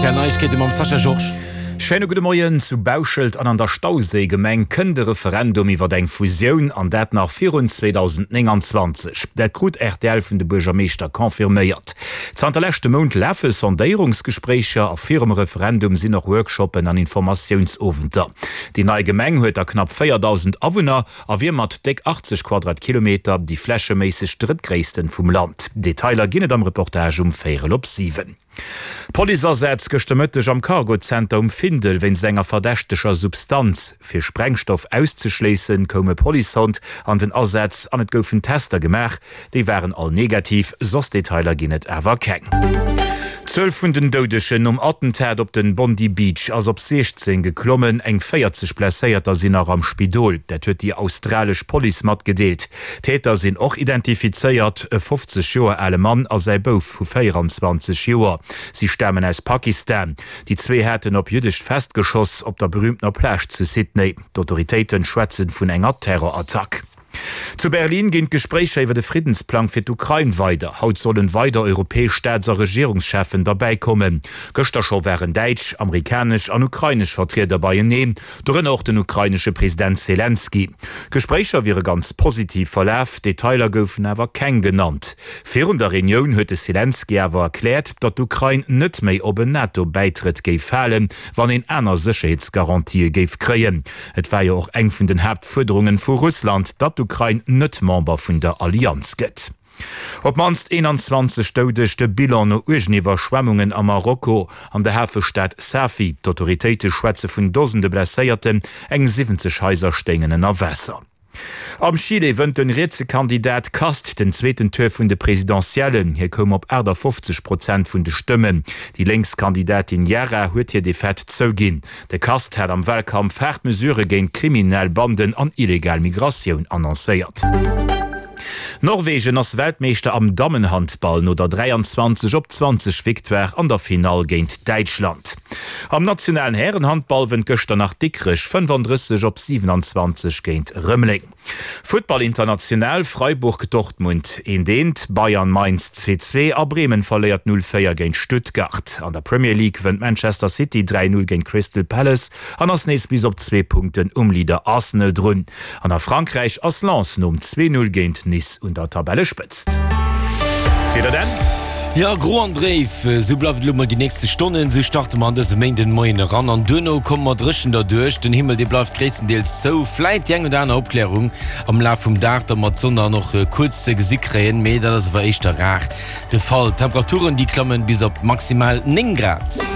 Rtl Neiegkeete mam Sascha Georges. Schéine gudde Moien. Zu Bauschelt an an der Stauséigemeng kënnt e Referendum iwwer eng Fusioun, an dat nach virun 2029. Dat krut rtl vun de Buergermeeschter confirméiert. Zanter leschte Mount lafe Sondéierungsgespréicher a virum Referendum sinn och Workshoppen an Informatiounsowenter. Déi nei Gemeng huet da knapp 4.000 Awunner a wier mat déck 80 Quadratkilometer déi flächeméisseg drëttgréissten vum Land. Detailer ginn et am Reportage um véierel op 7. Policeasätz gëschter Mëtteg am Cargo-Zenter um Findel wéinst enger verdächteger Substanz. Fir Sprengstoff auszeschléissen, koum e Policehond an den Asaz an et goufen Tester gemaach. Déi waren all negativ, soss Detailer ginn et awer keng. D'Zuel vun den Doudegen nom Attentat op den Bondi Beach ass op 16 geklommen. Eng 40 Blesséierter sinn nach am Spidol. Dat huet déi australesch Police matgedeelt. D'Täter sinn och identifizéiert, e 50 Joer ale Mann a säi Bouf vu 24 Joer. Si stamen aus Pakistan. Déi zwee haten op jüddescht Fest geschoss op der berüümtener Plage zu Sydney. D'Autoritéiten schwätzen vun enger Terrorattack. Zu Berlin ginn d'Gespréicher iwwer e Friddensplang fir d'Ukrain weider. Haut sollen weider europäesch Staats a Regierungscheffen derbäi kommen. Gëschter scho waren däitsch, amerikanesch an ukrainesch Vertrieder beieneen, dorënner och den ukrainesche President Selenskyj. D'Gespréicher wiere ganz positiv verlaf, Detailer goufen awer keng genannt. Virun der Reunioun huet de Selenskyj awer erkläert, datt d'Ukrain net méi op en NATO-Bäitrëtt géif falen, wann een aner Sécherheetsgarantië géif kréien. Et war jo och eng vun den Haaptfuerderungen vu Russland, datt d'Ukrain net Member vun der Allianz gëtt. Op d'mannst 21 Doudeg, de Bilan no uergen Iwwerschwemmungen a Marokko an der Hafestad Safi. D'Autoritéite schwätze vun Dosende Blesséierten, eng 70 Haiser stéingen ënner Waasser. Am Chile wënnt den rietse Kandidat Kast den zweeten Tour vun de Presidentiellen. Hie koum op 58 Prozent vun de Stëmmen. Déi lénks Kandidatin Jara huet hir Defaite zouginn. De Kast hat am Walkampf haart Mesurë géint kriminell Banden an illegal Migratioun annoncéiert. Norwegen ass Weltmeeschter am Dammenhandball no der 23 op 20 Victoire an der Finall géint Däitschland. Am nationalen Härenhandball wënnt gëschter nach Dikrech 35 op 27 géint Rëmeleng. Futtball international, Freiburg, Dortmund 1, 1, Bayern, Mainz 2, 2 a Bremen verléiert 0, 4 géint Stuttgart. An der Premier League wënnt Manchester City 3, 0 géint Crystal Palace an ass nees bis op zwee Punkten um Leader Arsenal drun. An a Frankräich ass Lens nom 2, 0 géint Nice un der Tabellespëtzt. Wieder Dan. Jo, gro an dréif, esou bleift et elo mol déi nächste Stonnen. Esou starte mer an dëse Méindenmoien eran an duerno komme mer dréchen derduerch. Den Himmel, dee bleift gréisstendeels zou, vläit déi eng oder aner Opklärung am Laf vum Dag da mat Sonn dann och kuerz ze gesi kréien, mee dat ass awer éischter rar de Fall. D'Temperaturen, déi klammen bis op maximal 9 Grad.